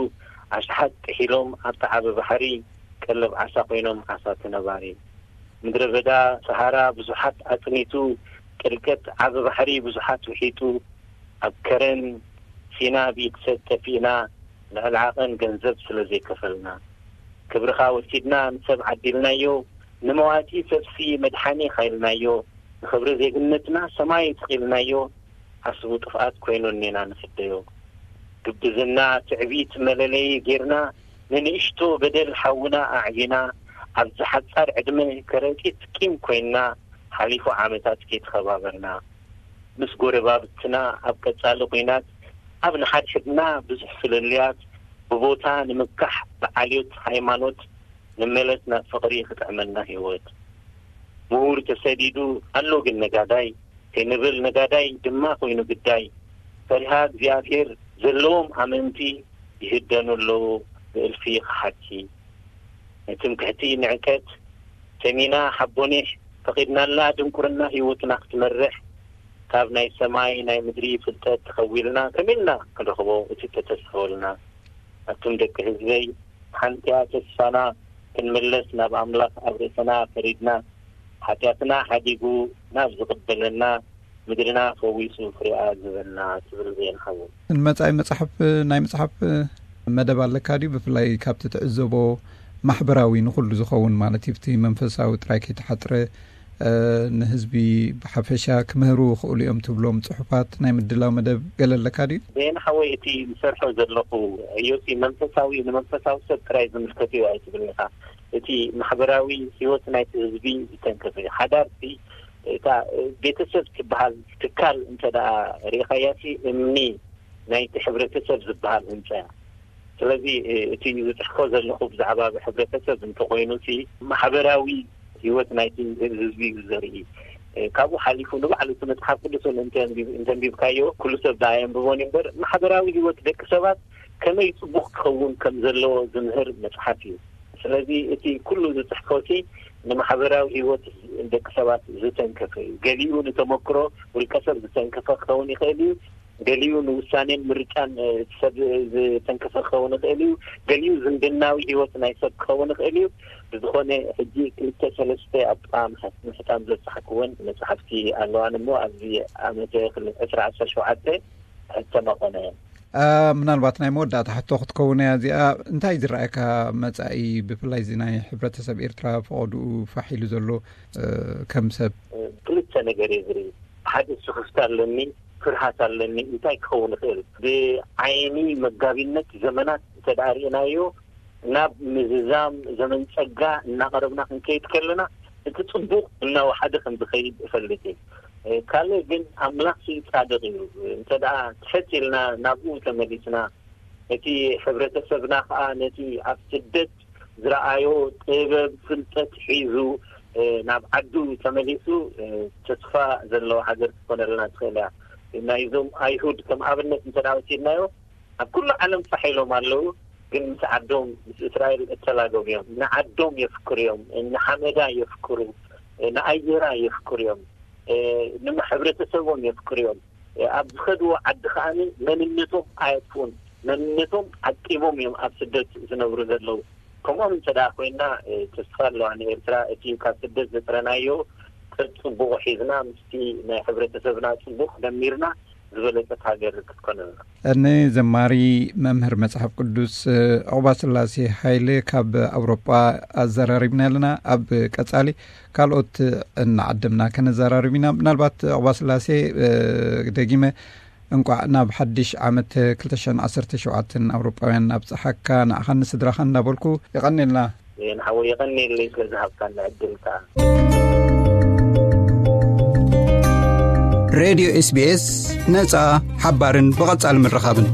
ኣሽሓት ጥሒሎም ኣብቲ ዓቢ ባሕሪ፣ ቀለብ ዓሳ ኮይኖም ዓሳ ተነባሪ። ምድረ በዳ ሰሃራ ብዙሓት ኣጽኒቱ፣ ጥልቀት ዓቢ ባሕሪ ብዙሓት ውሒጡ፣ ኣብ ከረን ሲና ብኢድ ሰብ ጠፊእና፣ ልዕሊ ዓቐን ገንዘብ ስለ ዘይከፈልና። ክብርኻ ወሲድና ንሰብ ዓዲልናዮ፣ ንመዋቲ ሰብሲ መድሓኒ ኻኢልናዮ፣ ንኽብሪ ዜግነትና ሰማይ ስቒልናዮ፣ ሓስቡ ጥፍኣት ኮይኑ እኔና ንፍደዮ። ግብዝና ትዕቢት መለለዪ ጌርና፣ ንንእሽቶ በደል ሓውና ኣዕቢና፣ ኣብዚ ሓጻር ዕድመ ከረጢት ቂም ኮይንና፣ ሓሊፉ ዓመታት ከይተኸባበርና። ምስ ጎረባብትና ኣብ ቀጻሊ ኲናት፣ ኣብ ንሓድሕድና ብዙሕ ፍልልያት፣ ብቦታ ንምካሕ ብዓልዮት ሃይማኖት፣ ንመለስ ናብ ፍቕሪ ክጥዕመና ህይወት። ምሁር ተሰዲዱ ኣሎ ግን ነጋዳይ፣ ከይንብል ነጋዳይ ድማ ኮይኑ ግዳይ። ፈሪሃ እግዚኣብሔር ዘለዎም ኣመንቲ ይህደኑ ኣለዉ ብእልፊ ከሓድቲ። ንትምክሕቲ ንዕቀት ሰሚና ሓቦኒሕ ፈቒድናላ ድንቁርና ህይወትና ክትመርሕ። ካብ ናይ ሰማይ ናይ ምድሪ ፍልጠት ተኸዊልና ከመይ ኢልና ክንረኽቦ እቲ እተተስፈወልና? ኣቱም ደቂ ህዝበይ፣ ሓንቲያ ተስፋና ክንምለስ ናብ ኣምላኽ ኣብ ርእስና ፈሪድና፣ ሓጢኣትና ሓዲጉ ናብ ዝቕበለና፣ ምድርና ፈዊሱ ፍሬኣ ዝህበና ትብል ዜና ሓወይ። ንመጻኢ መጽሓፍ፣ ናይ መጽሓፍ መደብ ኣለካ ድዩ? ብፍላይ ካብቲ ትዕዘቦ ማሕበራዊ ንኹሉ ዝኸውን ማለት እዩ፣ እቲ መንፈሳዊ ጥራይ ከይተሓጽረ፣ እ፣ ንህዝቢ ብሓፈሻ ክምህሩ ክኽእሉ እዮም ትብሎም ጽሑፋት ናይ ምድላው መደብ ገለ ኣለካ ድዩ? ዜና ሓወይ፣ እቲ ዝሰርሖ ዘለኹ ዕዮሲ መንፈሳዊ፣ ንመንፈሳዊ ሰብ ጥራይ ዝምልከት እዩ ኣይትብል ኢኻ። እቲ ማሕበራዊ ህይወት ናይቲ ህዝቢ ዝተንከፈ እዩ። ሓዳር እቲ፣ እታ ቤተሰብ ትበሃል ትካል እንተ ደኣ ርኢኻያ ሲ፣ እምኒ ናይቲ ሕብረተሰብ ዝበሃል ህንጻ እያ። ስለዚ፣ እ፣ እቲ ዝጽሕፎ ዘለኹ ብዛዕባ ሕብረተሰብ እንተኾይኑ ሲ፣ ማሕበራዊ ህይወት ናይቲ ህዝቢ እዩ ዘርኢ። እ፣ ካብኡ ሓሊፉ ንባዕሉ እቲ መጽሓፍ ቅዱስ እውን እንተ ኣንቢብ-፣ እንተ ኣንቢብካዮ፣ ኩሉ ሰብ ደኣ የንብቦን እዩ እምበር፣ ማሕበራዊ ህይወት ደቂ ሰባት ከመይ ጽቡቕ ክኸውን ከም ዘለዎ ዝምህር መጽሓፍ እዩ። ስለዚ እቲ ኩሉ ዝጽሕፎ ሲ፣ ንማሕበራዊ ህይወት ደቂ ሰባት ዝተንከፈ እዩ። ገሊኡ ንተመክሮ ውልቀ ሰብ ዝተንከፈ ክኸውን ይኽእል እዩ። ገሊኡ ንውሳኔን ምርጫን፣ እ፣ ሰብ ዝተንከፈ ክኸውን ይኽእል እዩ። ገሊኡ ዝምድናዊ ህይወት ናይ ሰብ ክኸውን ይኽእል እዩ። ብዝኾነ፣ ሕጂ ክልተ ሰለስተ ኣብ ጥቓ ምሕ-፣ ምሕታም ዘብጻሕክወን መጽሓፍቲ ኣለዋን እሞ፣ ኣብዚ ዓመተ ክል-፣ ዕስራ ዓሰርተ ሸውዓተ ሕተማ ኾነ። አ፣ ምናልባት ናይ መወዳእታ ሕቶ ክትከውን እያ እዚኣ። እንታይ ዝረኣየካ መጻኢ፣ ብፍላይ እዚ ናይ ሕብረተሰብ ኤርትራ ፈቐድኡ ፋሕ ኢሉ ዘሎ፣ እ፣ ከም ሰብ? እ፣ ክልተ ነገር እየ ዝርኢ። ሓደ ስኽፍታ ኣለኒ፣ ፍርሃት ኣለኒ። እንታይ ክኸውን ይኽእል? ብዓይኒ መጋቢነት ዘመናት እንተ ደኣ ርኢናዮ፣ ናብ ምዝዛም ዘመን ጸጋ እናቐረብና ክንከይድ ከለና፣ እቲ ጽቡቕ እናወሓደ ከም ዝኸይድ እፈልጥ እየ። እ፣ ካልእ ግን ኣምላኽ ሲ ጻድቕ እዩ። እንተ ደኣ ትሕት ኢልና ናብኡ ተመሊስና፣ እቲ ሕብረተሰብና ከኣ ነቲ ኣብ ስደት ዝረኣዮ ጥበብ፣ ፍልጠት ሒዙ፣ እ፣ ናብ ዓዱ ተመሊሱ፣ እ፣ ተስፋ ዘለዎ ሃገር ክትኮነልና ትኽእል እያ። ናይዞም ኣይሁድ ከም ኣብነት እንተ ደኣ ወሲድናዮ፣ ኣብ ኩሉ ዓለም ፋሕ ኢሎም ኣለዉ፣ ግን ምስ ዓዶም፣ ምስ እስራኤል እተላገቡ እዮም። ንዓዶም የፍቅሩ እዮም፣ ንሓመዳ የፍቅሩ፣ ንኣየራ የፍቅሩ እዮም፣ ንሕብረተሰቦም የፍቅሩ እዮም። ኣብ ዝኸድዎ ዓዲ ከኣ መንነቶም ኣየጥፍኡን። መንነቶም ዓቂቦም እዮም ኣብ ስደት ዝነብሩ ዘለዉ። ከምኦም እንተ ደኣ ኮይና፣ ተስፋ ኣለዋ ንኤርትራ። እቲ ካብ ስደት ዘጥረናዮ ቅርጺ ጽቡቕ ሒዝና፣ ምስቲ ናይ ሕብረተሰብና ጽቡቕ ደሚርና፣ ዝበለጸት ሃገር ክትኮነልና። ንዘማሪ፣ መምህር መጽሓፍ ቅዱስ ዑቕባስላሴ ሃይለ ካብ ኣውሮጳ ኣዘራሪብና ኣለና። ኣብ ቀጻሊ ካልኦት እናዓደምና ከነዘራርብ ኢና። ምናልባት ዑቕባስላሴ፣ ደጊመ እንቋዕ ናብ ሓድሽ ዓመት ክልተ ሽሕን ዓሰርተ ሸውዓተን ኣውሮጳውያን ኣብጽሓካ፣ ንዓኻን ንስድራኻን እንዳበልኩ የቐንየልና። ንሓወይ የቐንየለይ ስለ ዝሃብካኒ ዕድል ከኣ። ሬድዮ ኤስቢኤስ፣ ነጻ፣ ሓባርን ብቐጻሊ ምርኻብን።